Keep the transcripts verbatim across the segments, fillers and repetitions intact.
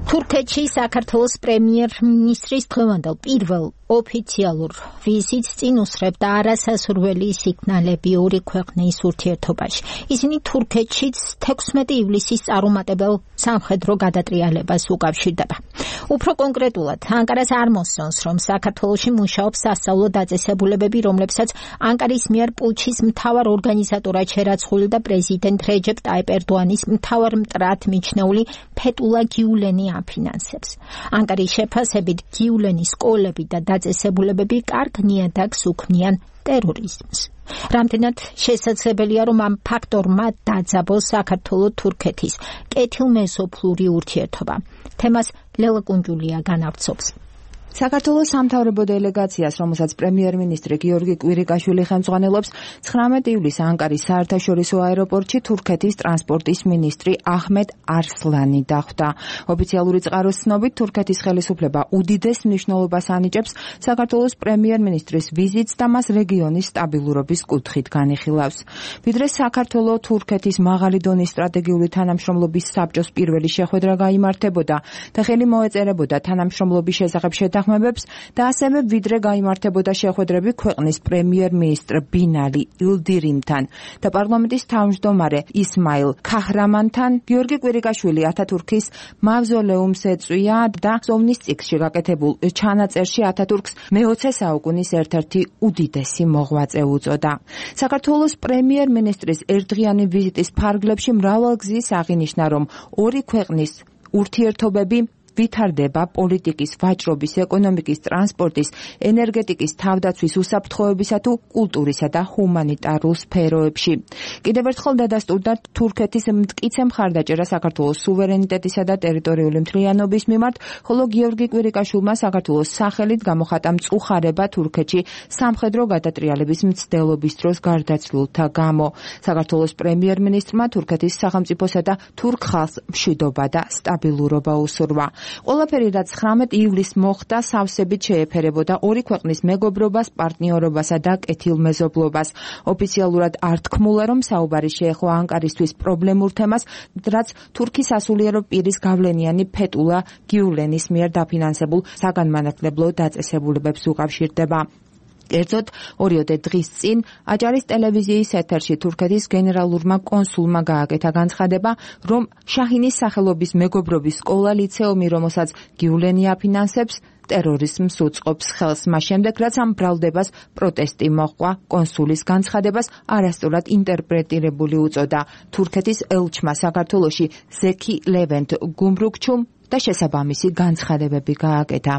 თურქეთში საქართველოს პრემიერ-მინისტრის დღევანდელ პირველ ოფიციალურ ვიზიტს წინ უსწრებდა არასასურველი სიგნალები ორი ქვეყნის ურთიერთობაში. ისინი თურქეთშიც თექვსმეტი ივლისის წარუმატებელ სამხედრო გადატრიალებას უკავშირდება. უფრო კონკრეტულად, ანკარას არ მოსწონს, რომ საქართველოში მუშაობს სასწავლო დაწესებულებები, რომლებსაც ანკარის მიერ პუჩის მთავარ ორგანიზატორად შერაცხული და პრეზიდენტ რეჯეპ ტაიპ ერდოანის მთავარ მტრად მიჩნეული ფეტულა გიულენი აფინანსებს. ანკარის შეფასებით გიულენის სკოლები და დაწესებულებები კარგ ნიადაგს უქმნიან ტერორიზმს. რამდენად შესაძლებელია, რომ ამ ფაქტორმა დაძაბოს საქართველო-თურქეთის კეთილმეზობლური ურთიერთობა. თემას ლელა კუნჯულია განავრცობს. საქართველოს სამთავრობო დელეგაციას, რომელსაც პრემიერ-მინისტრი გიორგი კვირიკაშვილი ხელმძღვანელობს, ცხრამეტი ივლისს ანკარის საერთაშორისო აეროპორტში თურქეთის ტრანსპორტის მინისტრი აჰმედ არსლანი დახვდა. ოფიციალური წყაროს ცნობით, თურქეთის ხელისუფლება უდიდეს მნიშვნელობას ანიჭებს საქართველოს პრემიერ-მინისტრის ვიზიტს და მას რეგიონის სტაბილურობის კუთხით განიხილავს. ვიდრე საქართველო-თურქეთის მაღალი დონის სტრატეგიული თანამშრომლობის საბჭოს პირველი შეხვედრა გაიმართებოდა და ხელი მოეწერებოდა თანამშრომლობის შესახებ შეთანხმებებს და ასევე ვიდრე გაიმართებოდა შეხვედრები ქვეყნის პრემიერ-მინისტრ ბინალი ილდირიმთან და პარლამენტის თავმჯდომარე ისმაილ ქაჰრამანთან, გიორგი კვირიკაშვილი ათათურქის მავზოლეუმს ეწვია და ზოვნის წიგნში გაკეთებულ ჩანაწერში ათათურქს მეოცე საუკუნის ერთ-ერთი უდიდესი მოღვაწე უწოდა. საქართველოს პრემიერ-მინისტრის ერთდღიანი ვიზიტის ფარგლებში მრავალგზის აღინიშნა, რომ ორი ქვეყნის ურთიერთობები ვითარდება პოლიტიკის, ვაჭრობის, ეკონომიკის, ტრანსპორტის, ენერგეტიკის, თავდაცვის, უსაფრთხოებისა თუ კულტურისა და ჰუმანიტარულ სფეროებში. კიდევ ერთხელ დადასტურდა თურქეთის მტკიცე მხარდაჭერა საქართველოს სუვერენიტეტისა და ტერიტორიული მთლიანობის მიმართ, ხოლო გიორგი კვირიკაშვილმა საქართველოს სახელით გამოხატა მწუხარება თურქეთში სამხედრო გადატრიალების მცდელობის დროს გარდაცვლილთა გამო. საქართველოს პრემიერ-მინისტრმა თურქეთის სახელმწიფოსა და თურქ ხალხს მშვიდობა და სტაბილურობა უსურვა. ყველაფერი, რაც ცხრამეტი ივლისს მოხდა, სავსებით შეეფერებოდა ორი ქვეყნის მეგობრობას, პარტნიორობასა და კეთილმეზობლობას. ოფიციალურად არ თქმულა, რომ საუბარი შეეხო ანკარისთვის პრობლემურ თემას, რაც თურქის სასულიერო პირის გავლენიანი ფეტულა გიულენის მიერ დაფინანსებულ საგანმანათლებლო დაწესებულებებს უკავშირდება. კერძოდ, ორიოდე დღის წინ აჭარის ტელევიზიის ეთერში თურქეთის გენერალურმა კონსულმა გააკეთა განცხადება, რომ შაჰინის სახელობის მეგობრობის სკოლა ლიცეუმი, რომელსაც გიულენი აფინანსებს, ტერორიზმს უწყობს ხელს. მას შემდეგ, რაც ამ ბრალდებას პროტესტი მოჰყვა, კონსულის განცხადებას არასწორად ინტერპრეტირებული უწოდა. თურქეთის ელჩმა საქართველოში ზექი ლევენტ გუმრუქჩუმ და შესაბამისი განცხადებები გააკეთა.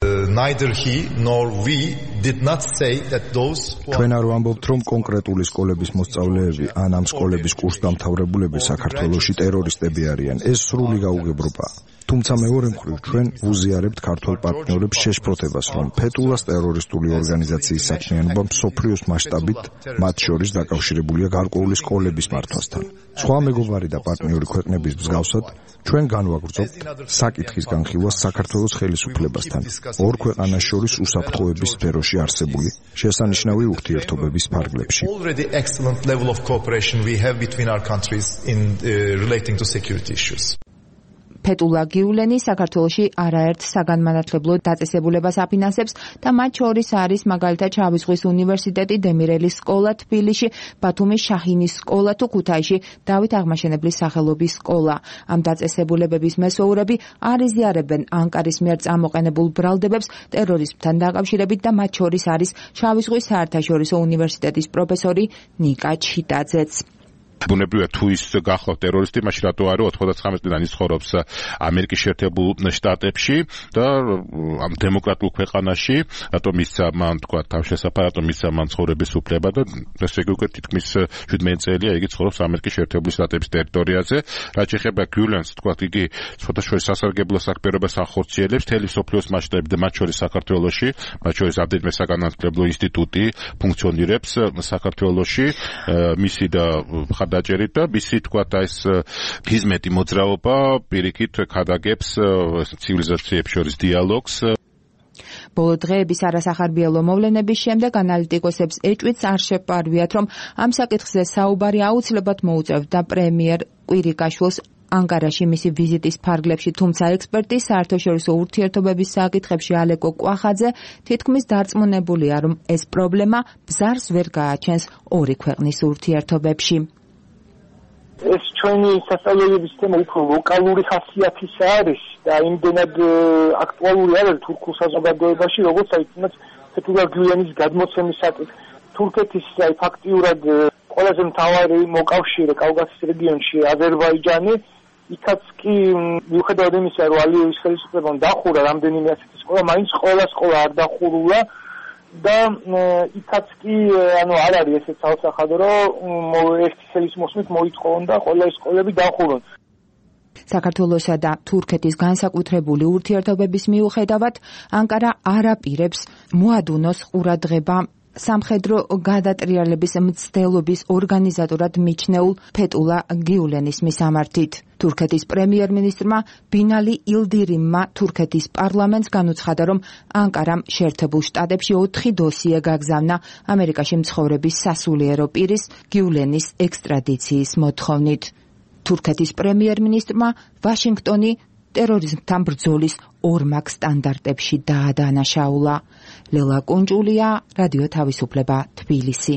Neither he nor we did not say that those ჩვენ არ ვამბობთ, რომ კონკრეტული სკოლების მოსწავლეები ან ამ სკოლების კურსდამთავრებულები საქართველოში ტერორისტები არიან. ეს სრული გაუგებრობაა. თუმცა მეორე მხრივ ჩვენ ვუზიარებთ ქართულ პარტნიორებს შეშფოთებას, რომ ფეტულას ტერორისტული ორგანიზაციის საქმიანობა მსოფლიოს მასშტაბით, მათ შორის დაკავშირებულია გარკვეული სკოლების მართვასთან. სხვა მეგობარი და პარტნიორი ქვეყნების მსგავსად, ჩვენ განვაგრძობთ საკითხის განხილვა საქართველოს ხელისუფლებასთან ორ ქვეყანას შორის უსაფრთხოების სფეროში არსებული შესანიშნავი ურთიერთობების ფარგლებში. Already excellent level of cooperation we have between our countries in uh, relating to security issues. ფეტულა გიულენი საქართველოში არაერთ საგანმანათლებლო დაწესებულებას აფინანსებს და მათ შორის არის მაგალითად შავი ზღვის უნივერსიტეტი, დემირელის სკოლა თბილისში, ბათუმის შაჰინის სკოლა თუ ქუთაისში დავით აღმაშენებლის სახელობის სკოლა. ამ დაწესებულებების მესვეურები არ იზიარებენ ანკარის მიერ წამოყენებულ ბრალდებებს ტერორიზმთან დაკავშირებით და მათ შორის არის შავი ზღვის საერთაშორისო უნივერსიტეტის პროფესორი ნიკა ჩიტაძეც. ბუნებრივია თუ ის გახლავთ ტერორისტი, მაშინ რატო არა ოთხმოცდათხამეტ წლიდან ის ცხოვრობს ამერიკის შეერთებულ შტატებში და ამ დემოკრატიულ ქვეყანაში, რატომ მისცა მან თქვა თავშესაფარ, რატომ მისცა მან ცხოვრების უფლება და ესე იგი უკვე თითქმის შვიდმეტი წელია იგი ცხოვრობს ამერიკის შეერთებული შტატების ტერიტორიაზე. რაც შეეხება გიულენს, თქვა იგი სხვადასხვა სასარგებლო საქმიანობას ახორციელებს მთელი მსოფლიოს მასშტაბით და მათ შორის საქართველოში, მათ შორის ამდენიმე საგანმანათლებლო ინსტიტუტი ფუნქციონირებს საქართველოში, მისი და დაჭერით და მისი თქვა ეს ხიზმეტი მოძრაობა პირიქით ქადაგებს ცივილიზაციებს შორის დიალოგს. ბოლო დღეების არასახარბიელო მოვლენების შემდეგ ანალიტიკოსებს ეჭვიც არ შეპარვიათ, რომ ამ საკითხზე საუბარი აუცილებლად მოუწევდა პრემიერ კვირიკაშვილს ანკარაში მისი ვიზიტის ფარგლებში, თუმცა ექსპერტი საერთაშორისო ურთიერთობების საკითხებში ალეკო კვახაძე თითქმის დარწმუნებულია, რომ ეს პრობლემა ბზარს ვერ გააჩენს ორი ქვეყნის ურთიერთობებში. ეს ჩვენი სასწავლებლების თემა უფრო ლოკალური ხასიათისა არის და იმდენად აქტუალური არის თურქულ საზოგადოებაში, როგორც აი თეთრ გვიანის გადმოცემის საკითხი. თურქეთის აი ფაქტიურად ყველაზე მთავარი მოკავშირე კავკასიის რეგიონში აზერბაიჯანი, იქაც კი მიუხედავად იმისა, რომ ალიევის ხელისუფლებამ დახურა რამდენიმე ასეთი სკოლა, მაინც ყველა სკოლა არ დახურულა და იქაც კი ანუ არ არის ესეც საოცახადო, რომ ერთი ხელის მოსმით მოითხოვონდა ყველა სკოლები დახურონ. საქართველოსა და თურქეთის განსაკუთრებული ურთიერთობების მიუხედავად, ანკარა არ აპირებს მოადუნოს ყურადღება სამხედრო გადატრიალების მცდელობის ორგანიზატორად მიჩნეულ ფეტულა გიულენის მისამართით. თურქეთის პრემიერ-მინისტრმა ბინალი ილდირიმმა თურქეთის პარლამენტს განუცხადა, რომ ანკარამ შეერთებულ შტატებში ოთხი დოსიე გაგზავნა ამერიკაში მცხოვრების სასულიერო პირის გიულენის ექსტრადიციის მოთხოვნით. თურქეთის პრემიერ-მინისტრმა ვაშინგტონი ტერორიზმთან ბრძოლის ორმაგ სტანდარტებში დაადანაშაულა. ლელა კუნჭულია, რადიო თავისუფლება, თბილისი.